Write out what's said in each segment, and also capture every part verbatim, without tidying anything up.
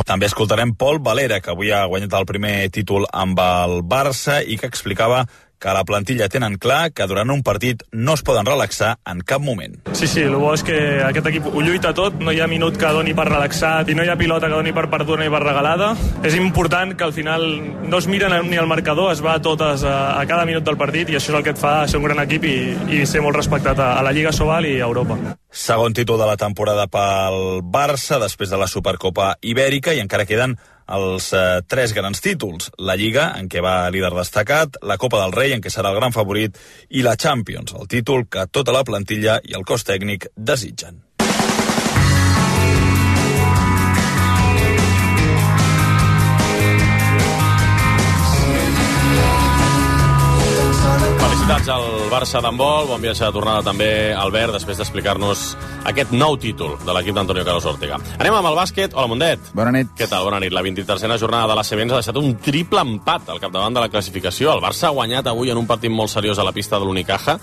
També escoltarem Pol Valera, que avui ha guanyat el primer títol amb el Barça i que explicava que a la plantilla tenen clar que durant un partit no es poden relaxar en cap moment. Sí, sí, el bo és que aquest equip ho lluita tot, no hi ha minut que doni per relaxat i no hi ha pilota que doni per perduda ni per regalada. És important que al final no es miren ni al marcador, es va a totes a, a cada minut del partit i això és el que et fa ser un gran equip i, i ser molt respectat a, a la Lliga Sobal i a Europa. Segon títol de la temporada pel Barça després de la Supercopa Ibèrica i encara queden els eh, tres grans títols. La Lliga, en què va líder destacat, la Copa del Rei, en què serà el gran favorit, i la Champions, el títol que tota la plantilla i el cos tècnic desitgen. Felicitats al Barça d'handbol, bon viatge de tornada també Albert, després d'explicar-nos aquest nou títol de l'equip d'Antonio Carlos Ortega. Anem amb el bàsquet. Hola, Mundet. Bona nit. Què tal? Bona nit. La vint-i-tercera jornada de l'A C B ens ha deixat un triple empat al capdavant de la classificació. El Barça ha guanyat avui en un partit molt seriós a la pista de l'Unicaja.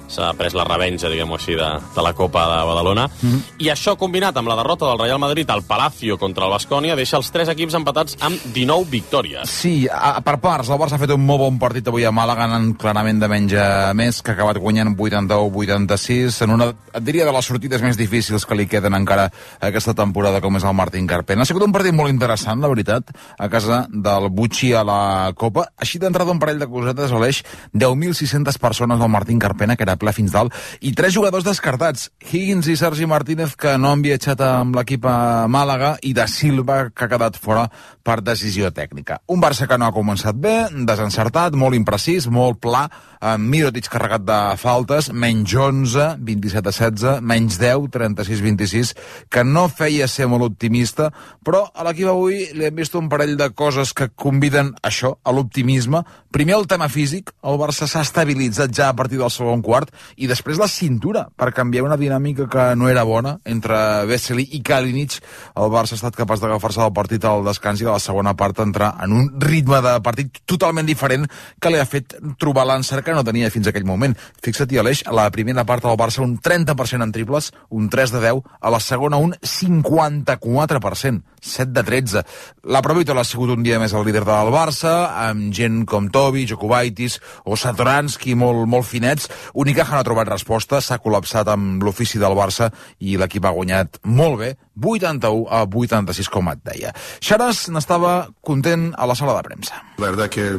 S'ha pres la revenja, diguem-ho així, de, de la Copa de Badalona. Mm-hmm. I això, combinat amb la derrota del Real Madrid al Palacio contra el Baskonia, deixa els tres equips empatats amb dinou victòries. Sí, a, per parts. El Barça ha fet un molt bon partit avui a Màlaga, anant clarament de menys a més, que ha acabat guanyant vuitanta-u vuitanta-sis, en una, et diria, de les sortides més difícils que li queden encara aquesta temporada, com és el Martín Carpena. Ha sigut un partit molt interessant, la veritat, a casa del Butxi a la Copa. Així d'entrada un parell de cosetes, Aleix, deu mil sis-centes persones del Martín Carpena, que era ple fins dalt, i tres jugadors descartats, Higgins i Sergi Martínez, que no han viatjat amb l'equip a Màlaga, i Da Silva, que ha quedat fora per decisió tècnica. Un Barça que no ha començat bé, desencertat, molt imprecís, molt pla, amb Mirotic carregat de faltes, menys onze, vint-i-set a setze, menys deu, trenta-sis vint-i-sis, que no feia ser molt optimista, però a l'equip avui li hem vist un parell de coses que conviden això, a l'optimisme. Primer, el tema físic. El Barça s'ha estabilitzat ja a partir del segon quart, i després la cintura, per canviar una dinàmica que no era bona entre Vesely i Kalinic. El Barça ha estat capaç d'agafar-se del partit al descans i de la segona part entrar en un ritme de partit totalment diferent que li ha fet trobar l'encert que no tenia fins aquell moment. Fixa't, Aleix, a la primera part del Barça un trenta per cent en triples, un tres de deu, a la segona un cinquanta-quatre per cent, set de tretze. La Provítola ha sigut un dia més el líder del Barça, amb gent com Tobi, Jokubaitis o Satoranski molt, molt finets. Unicaja no ha trobat resposta, s'ha col·lapsat amb l'ofici del Barça i l'equip ha guanyat molt bé, vuitanta-u a vuitanta-sis, com et deia. Xaras n'estava content a la sala de premsa. La verdad que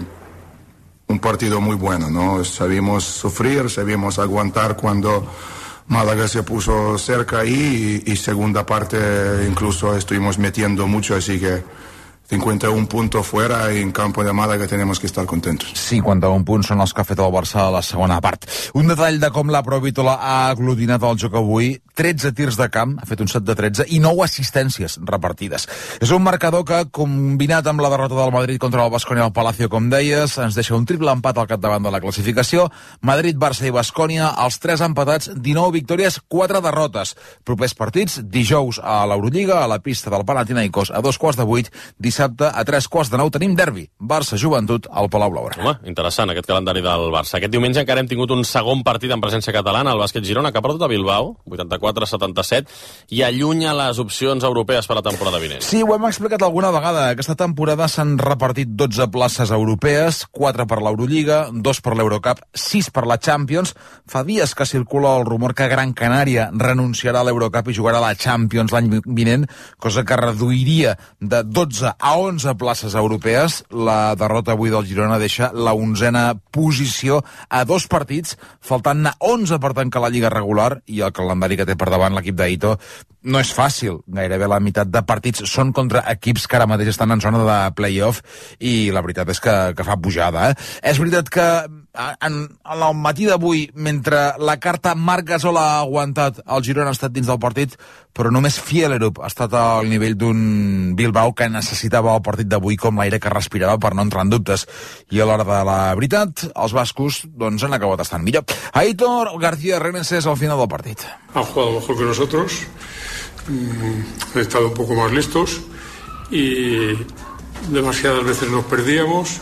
un partido muy bueno, ¿no? Sabíamos sufrir, sabíamos aguantar cuando Málaga se puso cerca ahí y, y segunda parte incluso estuvimos metiendo mucho, así que cinquanta un puntos fuera i en campo de Málaga tenemos que estar contentos. cinquanta un punts són els que ha fet el Barça a la segona part. Un detall de com la Provítola ha aglutinat el joc avui: tretze tirs de camp, ha fet un set de tretze, i nou assistències repartides. És un marcador que, combinat amb la derrota del Madrid contra el Baskonia al Palacio, com deies, ens deixa un triple empat al capdavant de la classificació. Madrid, Barça i Baskonia, els tres empatats, dinou victòries, quatre derrotes. Propers partits, dijous a l'Eurolliga, a la pista del Panathinaikos, a dos quarts de vuit, dissabte a tres quarts de nou tenim derbi, Barça-Joventut al Palau Blaugrana. Home, interessant aquest calendari del Barça. Aquest diumenge encara hem tingut un segon partit en presència catalana, el bàsquet Girona, que ha perdut a Bilbao, vuitanta-quatre a setanta-set, i allunya les opcions europees per a la temporada vinent. Sí, ho hem explicat alguna vegada. Aquesta temporada s'han repartit dotze places europees, quatre per l'Eurolliga, dos per l'Eurocup, sis per la Champions. Fa dies que circula el rumor que Gran Canària renunciarà a l'Eurocup i jugarà a la Champions l'any vinent, cosa que reduiria de dotze a onze places europees. La derrota avui del Girona deixa la onzena posició a dos partits, faltant-ne onze per tancar la Lliga regular, i el calendari que té per davant l'equip d'Aito no és fàcil. Gairebé la meitat de partits són contra equips que ara mateix estan en zona de play-off, i la veritat és que, que fa pujada. Eh? És veritat que en, en el matí d'avui, mentre la carta Marc Gasol ha aguantat, el Girona ha estat dins del partit, però només Fielerup ha estat al nivell d'un Bilbao que necessitava el partit d'avui com l'aire que respirava per no entrar en dubtes. I a l'hora de la veritat, els bascos doncs, han acabat estant millor. Aitor García Reneses al final del partit. Han jugado mejor que nosotros, han estado un poco más listos y demasiadas veces nos perdíamos,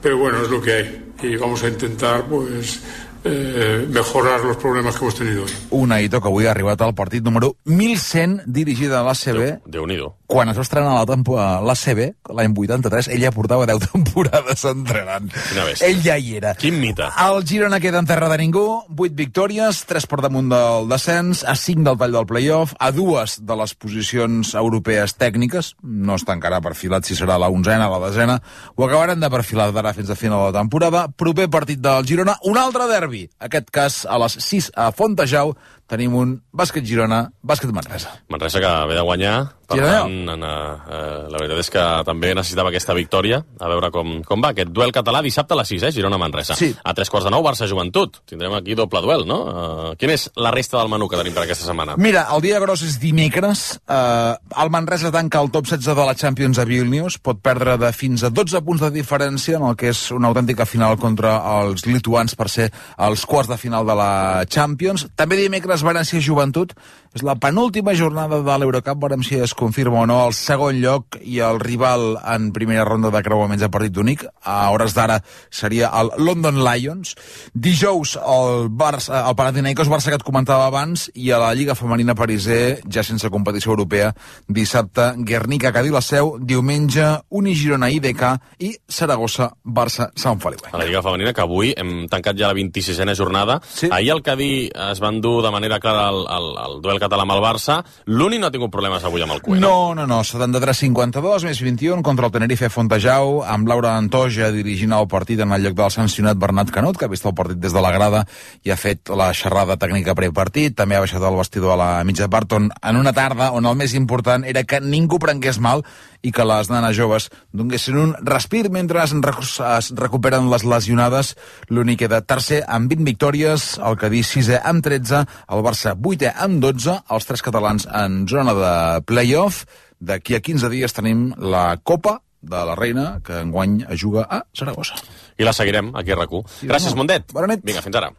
pero bueno, es lo que hay y vamos a intentar pues eh, mejorar los problemas que hemos tenido hoy. Un Aito que avui ha arribat al partit número mil cent dirigida a l'A C B. Déu-n'hi-do. quan es va estrenar la, temporada, la C B, l'any vuitanta-tres, ella portava deu temporades entrenant. Ell ja hi era. Quin mite. El Girona queda en terra de ningú, vuit victòries, tres per damunt del descens, a cinc del tall del play-off, a dues de les posicions europees tècniques, no està encara perfilat si serà la onzena o la desena, ho acabaran de perfilar d'ara fins a final de la temporada. Proper partit del Girona, un altre derbi, aquest cas a les sis a Fontejau, tenim un bàsquet Girona, bàsquet Manresa. Manresa que ve de guanyar, per Girona. tant, en, eh, la veritat és que també necessitava aquesta victòria, a veure com, com va, aquest duel català dissabte a les sis, eh, Girona-Manresa. Sí. A tres quarts de nou, Barça-Joventut. Tindrem aquí doble duel, no? Uh, quin és la resta del menú que tenim per aquesta setmana? Mira, el dia gros és dimecres, eh, el Manresa tanca el top setze de la Champions a Vilnius, pot perdre de fins a dotze punts de diferència en el que és una autèntica final contra els lituans per ser els quarts de final de la Champions. També dimecres València Joventut, és la penúltima jornada de l'Eurocup, veurem si es confirma o no el segon lloc i el rival en primera ronda de creuaments a partit únic. A hores d'ara seria el London Lions. Dijous el, Barça, el Panathinaikos Barça que et comentava abans i a la Lliga Femenina Pariser, ja sense competició europea, dissabte Guernica Cadí la Seu, diumenge Uni Girona I D K i Saragossa Barça Sant Feliu. A la Lliga Femenina, que avui hem tancat ja la vint-i-sisena jornada. Sí. Ahir el Cadí es va endur de manera clara el, el, el duel català amb el Barça. L'Uni no ha tingut problemes avui amb el Cué. No, no, no. setanta-tres cinquanta-dos més vint-i-un contra el Tenerife Fontejau, amb Laura Antoja dirigint el partit en el lloc del sancionat Bernat Canut, que ha vist el partit des de la grada i ha fet la xerrada tècnica prepartit. També ha baixat el vestidor a la mitja part, on, en una tarda on el més important era que ningú prengués mal i que les nanes joves donguessin un respir mentre es, es recuperen les lesionades. L'Uni queda tercer amb vint victòries, el Cadí sisè amb tretze, el Barça vuitè amb dotze, els tres catalans en zona de play-off. D'aquí a quinze dies tenim la Copa de la Reina, que enguany es juga a Saragossa. I la seguirem aquí a RAC u. Gràcies, Mundet. Bona nit. Vinga, fins ara.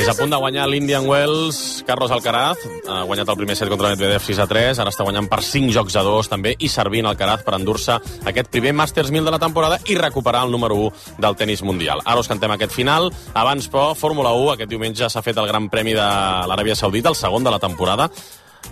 És a punt de guanyar l'Indian Wells, Carlos Alcaraz, ha guanyat el primer set contra Medvedev sis a tres, ara està guanyant per cinc jocs a dos, també, i servint Alcaraz per endur-se aquest primer Masters mil de la temporada i recuperar el número u del tenis mundial. Ara us cantem aquest final, abans però, Fórmula u, aquest diumenge s'ha fet el Gran Premi de l'Aràbia Saudita, el segon de la temporada,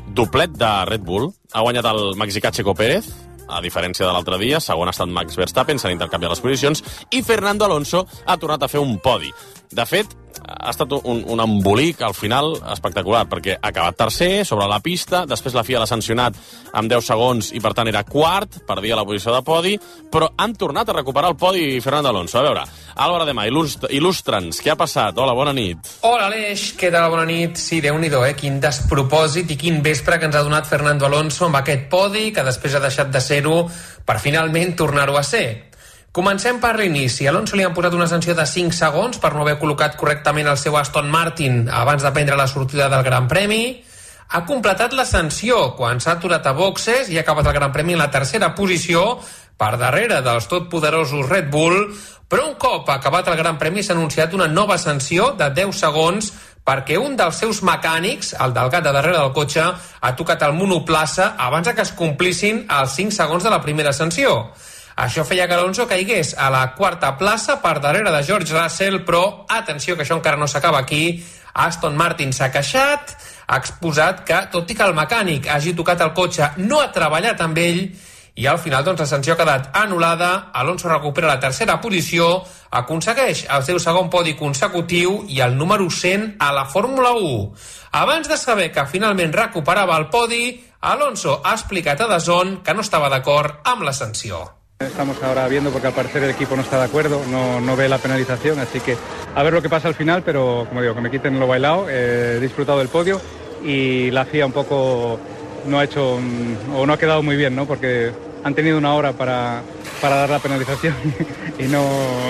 doblet de Red Bull, ha guanyat el mexicà Checo Pérez, a diferència de l'altre dia, segon ha estat Max Verstappen, s'han intercanviat les posicions, i Fernando Alonso ha tornat a fer un podi. De fet, ha estat un, un embolic al final espectacular, perquè ha acabat tercer sobre la pista, després la F I A l'ha sancionat amb deu segons i per tant era quart, perdia la posició de podi, però han tornat a recuperar el podi Fernando Alonso. A veure, Álvaro Demà, il·lustra'ns, què ha passat? Hola, bona nit. Hola, Aleix, què tal? Bona nit. Sí, Déu-n'hi-do, eh? Quin despropòsit i quin vespre que ens ha donat Fernando Alonso amb aquest podi, que després ha deixat de ser-ho per finalment tornar-ho a ser. Comencem per l'inici. A Alonso li han posat una sanció de cinc segons per no haver col·locat correctament el seu Aston Martin abans de prendre la sortida del Gran Premi. Ha completat la sanció quan s'ha aturat a boxes i ha acabat el Gran Premi en la tercera posició per darrere dels totpoderosos Red Bull, però un cop acabat el Gran Premi s'ha anunciat una nova sanció de deu segons perquè un dels seus mecànics, el del gat de darrere del cotxe, ha tocat el monoplaça abans que es complissin els cinc segons de la primera sanció. Això feia que Alonso caigués a la quarta plaça per darrere de George Russell, però, atenció, que això encara no s'acaba aquí, Aston Martin s'ha queixat, ha exposat que, tot i que el mecànic hagi tocat el cotxe, no ha treballat amb ell, i al final doncs, la sanció ha quedat anul·lada, Alonso recupera la tercera posició, aconsegueix el seu segon podi consecutiu i el número cent a la Fórmula u. Abans de saber que finalment recuperava el podi, Alonso ha explicat a D A Z N que no estava d'acord amb la sanció. Estamos ahora viendo porque al parecer el equipo no está de acuerdo, no, no ve la penalización, así que a ver lo que pasa al final, pero como digo, que me quiten lo bailado, eh, he disfrutado del podio y la F I A un poco no ha hecho o no ha quedado muy bien, ¿no? Porque han tenido una hora para, para dar la penalització i, no,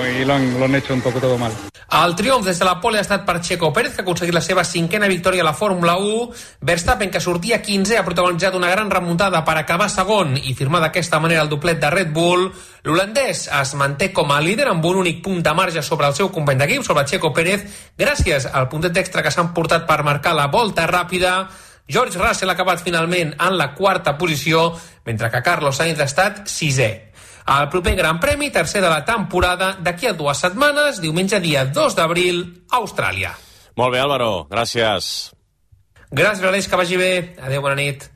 i lo, han, lo han hecho un poco todo mal. El triomf des de la pole ha estat per Checo Pérez, que ha aconseguit la seva cinquena victòria a la Fórmula u. Verstappen, que sortia quinzè, ha protagonitzat una gran remuntada per acabar segon i firmar d'aquesta manera el doblet de Red Bull. L'holandès es manté com a líder amb un únic punt de marge sobre el seu company d'equip, sobre Checo Pérez, gràcies al puntet extra que s'han portat per marcar la volta ràpida. George Russell ha acabat finalment en la quarta posició, mentre que Carlos Sainz ha estat sisè. El proper Gran Premi, tercer de la temporada, d'aquí a dues setmanes, diumenge dia dos d'abril, a Austràlia. Molt bé, Álvaro, gràcies. Gràcies, Aleix, que vagi bé. Adéu, bona nit.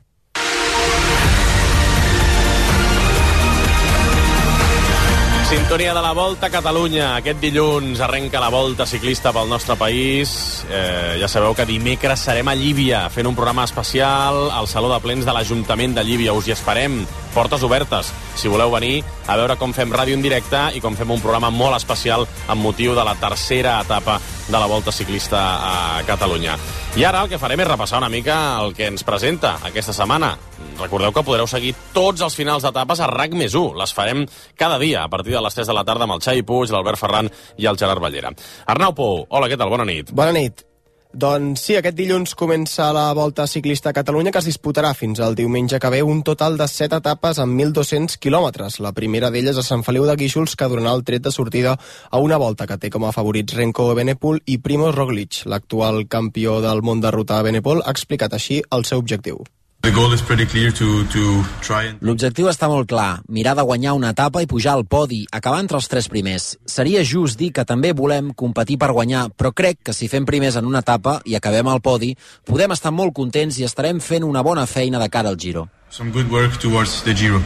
Sintonia de la Volta a Catalunya. Aquest dilluns arrenca la Volta ciclista pel nostre país. Eh, ja sabeu que dimecres serem a Llívia fent un programa especial al Saló de Plens de l'Ajuntament de Llívia. Us hi esperem, portes obertes, si voleu venir a veure com fem ràdio en directe i com fem un programa molt especial amb motiu de la tercera etapa de la Volta ciclista a Catalunya. I ara el que farem és repassar una mica el que ens presenta aquesta setmana. Recordeu que podreu seguir tots els finals d'etapes a RAC més u. Les farem cada dia a partir de les tres de la tarda amb el Xavi Puig, l'Albert Ferran i el Gerard Ballera. Arnau Pou, hola, què tal? Bona nit. Bona nit. Doncs sí, aquest dilluns comença la Volta Ciclista a Catalunya, que es disputarà fins al diumenge que ve un total de set etapes amb mil dos-cents quilòmetres. La primera d'elles a Sant Feliu de Guíxols, que donarà el tret de sortida a una volta que té com a favorits Renko Evenepoel i Primož Roglič. L'actual campió del món de ruta Evenepoel ha explicat així el seu objectiu. L'objectiu està molt clar, mirar de guanyar una etapa i pujar al podi, acabar entre els tres primers. Seria just dir que també volem competir per guanyar, però crec que si fem primers en una etapa i acabem al podi, podem estar molt contents i estarem fent una bona feina de cara al Giro. Some good work towards the Giro.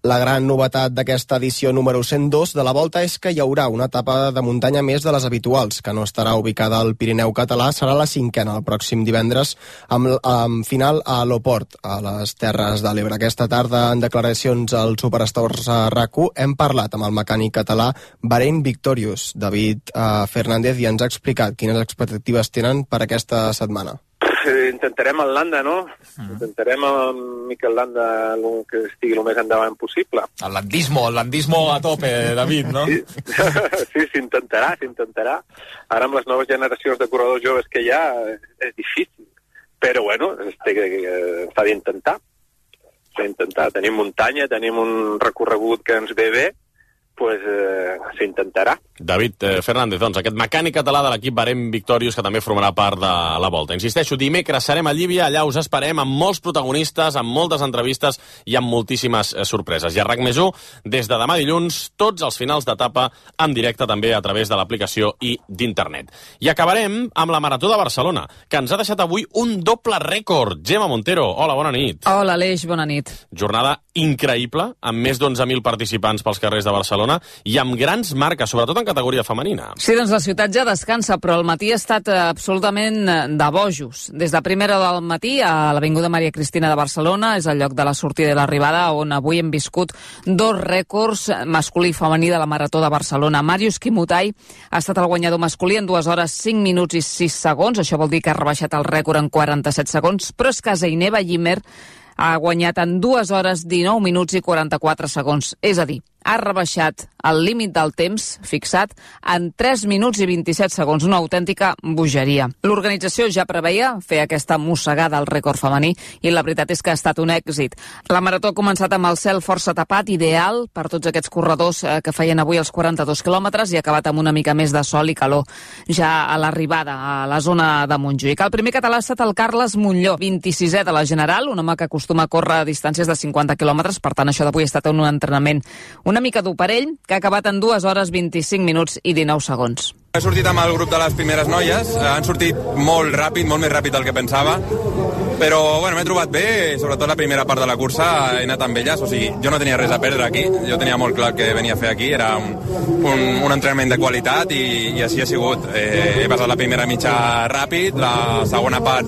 La gran novetat d'aquesta edició número cent dos de la Volta és que hi haurà una etapa de muntanya més de les habituals, que no estarà ubicada al Pirineu català, serà la cinquena el pròxim divendres, amb, amb final a l'Oport, a les Terres de l'Ebre. Aquesta tarda, en declaracions al Superstores a RAC u, hem parlat amb el mecànic català Bahrain Victorious, David uh, Fernández, i ens ha explicat quines expectatives tenen per aquesta setmana. Intentarem el Landa, no? Mm. Intentarem amb Mikel Landa que estigui el més endavant possible. El landismo, el landismo a tope, David, no? Sí, sí, s'intentarà, s'intentarà. Ara amb les noves generacions de corredors joves que hi ha és difícil, però bueno, s'ha d'intentar. S'ha d'intentar. Tenim muntanya, tenim un recorregut que ens ve bé, pues eh, s'intentarà. David eh, Fernández, doncs, aquest mecànic català de l'equip Bahrain Victorious, que també formarà part de la Volta. Insisteixo, dimecres serem a Llívia, allà us esperem amb molts protagonistes, amb moltes entrevistes i amb moltíssimes eh, sorpreses. I a RAC més u, des de demà dilluns, tots els finals d'etapa en directe també a través de l'aplicació i d'internet. I acabarem amb la Marató de Barcelona, que ens ha deixat avui un doble rècord. Gemma Montero, hola, bona nit. Hola, Aleix, bona nit. Jornada increïble, amb més d'onze mil participants pels carrers de Barcelona i amb grans marques, sobretot en categoria femenina. Sí, doncs la ciutat ja descansa, però el matí ha estat absolutament de bojos. Des de primera del matí a l'Avinguda Maria Cristina de Barcelona, és el lloc de la sortida i l'arribada, on avui hem viscut dos rècords masculí i femení de la Marató de Barcelona. Màrius Kimutai ha estat el guanyador masculí en dues hores cinc minuts i sis segons, això vol dir que ha rebaixat el rècord en quaranta-set segons, però és que Zeineba Yimmer ha guanyat en dues hores dinou minuts i quaranta-quatre segons, és a dir, ha rebaixat el límit del temps fixat en tres minuts i vint-i-set segons, una autèntica bogeria. L'organització ja preveia fer aquesta mossegada al rècord femení i la veritat és que ha estat un èxit. La marató ha començat amb el cel força tapat, ideal per tots aquests corredors que feien avui els quaranta-dos quilòmetres, i ha acabat amb una mica més de sol i calor ja a l'arribada a la zona de Montjuïc. El primer català ha estat el Carles Montlló, vint-i-sisè de la general, un home que acostuma a córrer a distàncies de cinquanta quilòmetres, per tant això d'avui ha estat un entrenament una mica dur per ell, que ha acabat en dues hores vint-i-cinc minuts i dinou segons. He sortit amb el grup de les primeres noies, han sortit molt ràpid, molt més ràpid del que pensava, però bueno, m'he trobat bé, sobretot la primera part de la cursa he anat amb elles, o sigui, jo no tenia res a perdre aquí, jo tenia molt clar que venia a fer aquí, era un, un, un entrenament de qualitat i, i així ha sigut. Eh, he passat la primera mitja ràpid, la segona part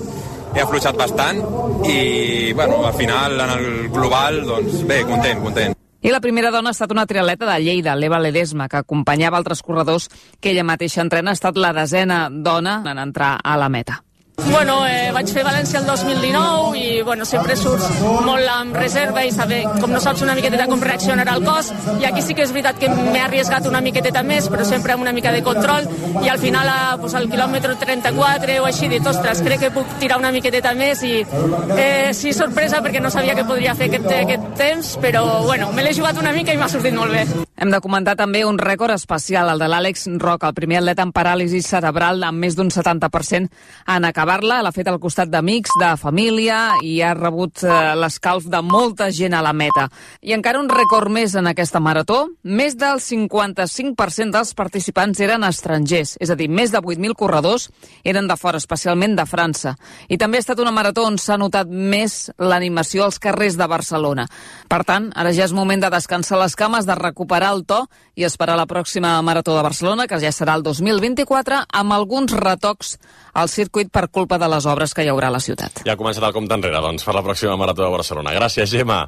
he afluixat bastant i bueno, al final, en el global, doncs bé, content, content. I la primera dona ha estat una triatleta de Lleida, l'Eva Ledesma, que acompanyava altres corredors que ella mateixa entrena. Ha estat la desena dona en entrar a la meta. Bueno, eh, vaig fer València el dos mil dinou i bueno, sempre surts molt amb reserva i saber, com no saps una miqueteta com reaccionarà el cos, i aquí sí que és veritat que m'he arriesgat una miqueteta més, però sempre amb una mica de control, i al final a, pues, al quilòmetre trenta-quatre o així dit, ostres, crec que puc tirar una miqueteta més, i eh, sí, sorpresa perquè no sabia que podria fer aquest, aquest temps, però bueno, me l'he jugat una mica i m'ha sortit molt bé. Hem de comentar també un rècord especial, el de l'Àlex Roca, el primer atleta amb paràlisi cerebral amb més d'un setanta per cent en acabar-la. L'ha fet al costat d'amics, de família i ha rebut eh, l'escalf de molta gent a la meta. I encara un rècord més en aquesta marató. Més del cinquanta-cinc per cent dels participants eren estrangers, és a dir, més de vuit mil corredors eren de fora, especialment de França. I també ha estat una marató on s'ha notat més l'animació als carrers de Barcelona. Per tant, ara ja és moment de descansar les cames, de recuperar el to i esperar la pròxima Marató de Barcelona, que ja serà el dos mil vint-i-quatre, amb alguns retocs al circuit per culpa de les obres que hi haurà a la ciutat. Ja ha començat el compte enrere, doncs, per la pròxima Marató de Barcelona. Gràcies, Gemma.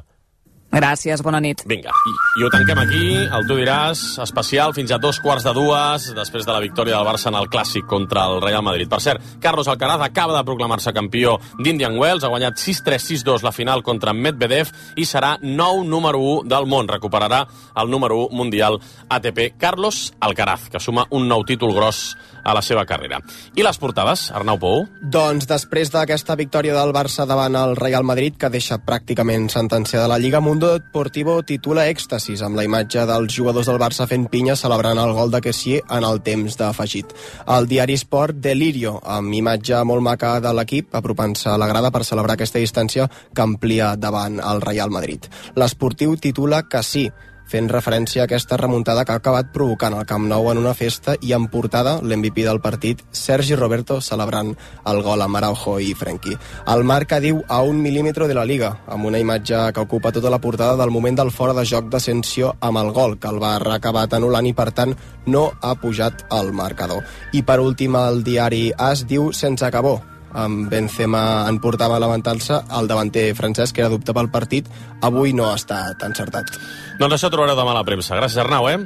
Gràcies, bona nit. Vinga, i, i ho tanquem aquí, el Tu diràs, especial, fins a dos quarts de dues, després de la victòria del Barça en el Clàssic contra el Real Madrid. Per cert, Carlos Alcaraz acaba de proclamar-se campió d'Indian Wells, ha guanyat sis tres sis dos la final contra Medvedev i serà nou número u del món. Recuperarà el número u mundial A T P. Carlos Alcaraz, que suma un nou títol gros a la seva carrera. I les portades, Arnau Pou? Doncs després d'aquesta victòria del Barça davant el Real Madrid, que deixa pràcticament sentenciada la Lliga, Mundo Deportivo titula Èxtasis, amb la imatge dels jugadors del Barça fent pinya celebrant el gol de Kessié en el temps d'afegit. El diari Sport, Delirio, amb imatge molt maca de l'equip, apropant-se a la grada per celebrar aquesta distància que amplia davant el Real Madrid. L'Esportiu titula Que sí, fent referència a aquesta remuntada que ha acabat provocant el Camp Nou en una festa i en portada l'M V P del partit, Sergi Roberto, celebrant el gol amb Araujo i Frenkie. El Marca diu a un mil·límetre de la Liga, amb una imatge que ocupa tota la portada del moment del fora de joc d'Asensio amb el gol, que el va acabat anul·lant i, per tant, no ha pujat al marcador. I, per últim, el diari AS diu Sense acabó, amb Benzema en portava a levantar-se, el davanter francès, que era dubte pel partit, avui no ha estat encertat. Doncs això trobareu demà a la premsa. Gràcies, Arnau, eh?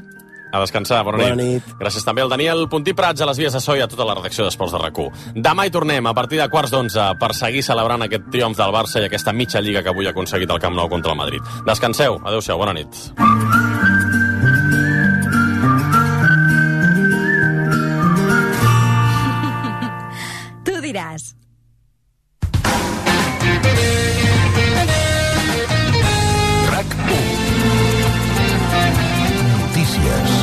A descansar, bona, bona nit. nit. Gràcies també al Daniel Puntí Prats, a les vies de so i a tota la redacció d'Esports de RAC u. Demà hi tornem a partir de quarts d'onze per seguir celebrant aquest triomf del Barça i aquesta mitja lliga que avui ha aconseguit el Camp Nou contra el Madrid. Descanseu, adeu-siau, bona nit. Tu diràs. RAC u. Notícies.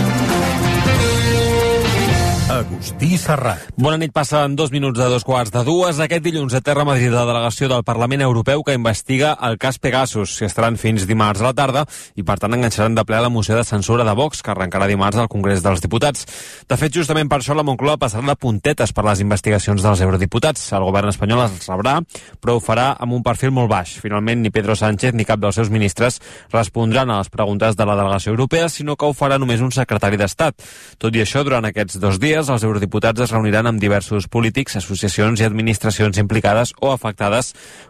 Agustí Serrat. Bona nit, passen dos minuts de dos quarts de dues. Aquest dilluns aterra a Madrid la delegació del Parlament Europeu que investiga el cas Pegasus. S'hi estaran fins dimarts a la tarda i, per tant, enganxaran de ple la moció de censura de Vox, que arrencarà dimarts al Congrés dels Diputats. De fet, justament per això la Moncloa passarà de puntetes per les investigacions dels eurodiputats. El govern espanyol els rebrà, però ho farà amb un perfil molt baix. Finalment, ni Pedro Sánchez ni cap dels seus ministres respondran a les preguntes de la delegació europea, sinó que ho farà només un secretari d'Estat. Tot i això, durant aquests dos dies, els eurodiputats es reuniran amb diversos polítics, associacions i administracions implicades o afectades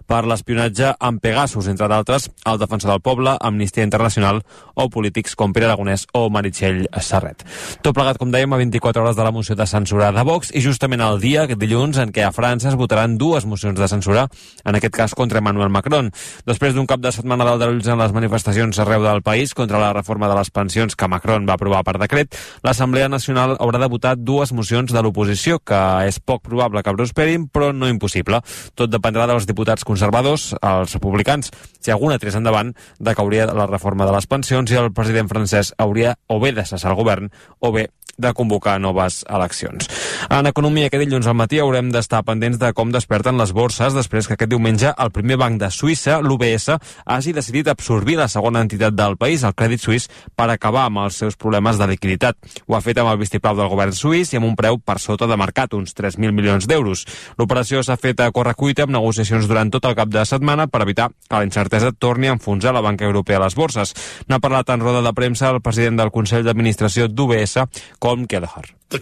per l'espionatge amb Pegasus, entre d'altres el Defensor del Poble, Amnistia Internacional o polítics com Pere Aragonès o Meritxell Serret. Tot plegat, com dèiem, a vint-i-quatre hores de la moció de censura de Vox i justament el dia, aquest dilluns, en què a França es votaran dues mocions de censura, en aquest cas contra Emmanuel Macron. Després d'un cap de setmana d'aldarulls en les manifestacions arreu del país contra la reforma de les pensions que Macron va aprovar per decret, l'Assemblea Nacional haurà de votar dues mocions de l'oposició, que és poc probable que prosperin, però no impossible. Tot dependrà dels diputats conservadors, els republicans. Si alguna tirés endavant, decauria la reforma de les pensions i el president francès hauria o bé de cessar el govern o bé de convocar noves eleccions. En economia, aquest dilluns al matí haurem d'estar pendents de com desperten les borses després que aquest diumenge el primer banc de Suïssa, l'U B S, hagi decidit absorbir la segona entitat del país, el Crèdit Suís, per acabar amb els seus problemes de liquiditat. Ho ha fet amb el vistiplau del govern suís i amb un preu per sota de mercat, uns tres mil milions d'euros. L'operació s'ha fet a correcuita amb negociacions durant tot el cap de setmana per evitar que la incertesa torni a enfonsar la banca europea a les borses. N'ha parlat en roda de premsa el president del Consell d'Administració d'U B S, Colm Kelleher. La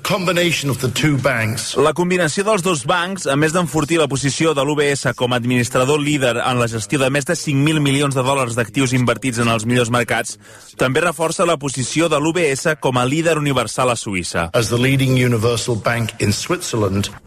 combinació dels dos bancs, a més d'enfortir la posició de l'U B S com a administrador líder en la gestió de més de cinc mil milions de dòlars d'actius invertits en els millors mercats, també reforça la posició de l'U B S com a líder universal a Suïssa.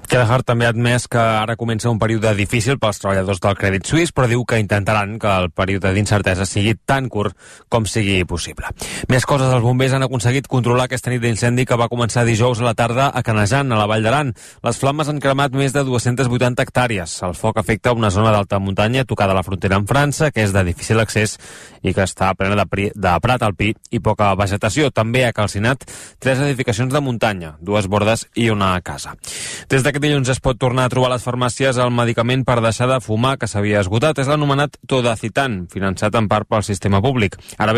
Kelleher també ha admès que ara comença un període difícil pels treballadors del Credit Suisse, però diu que intentaran que el període d'incertesa sigui tan curt com sigui possible. Més coses, els bombers han aconseguit controlar aquesta nit d'incendi que va començar dijous a la tarda a Canejan, a la Vall d'Aran. Les flames han cremat més de dues-centes vuitanta hectàrees. El foc afecta una zona d'alta muntanya tocada a la frontera amb França, que és de difícil accés i que està plena de, pri de prat alpí i poca vegetació. També ha calcinat tres edificacions de muntanya, dues bordes i una casa. Des d'aquest dilluns es pot tornar a trobar a les farmàcies el medicament per deixar de fumar que s'havia esgotat. És l'anomenat Todacitan, finançat en part pel sistema públic. Ara bé,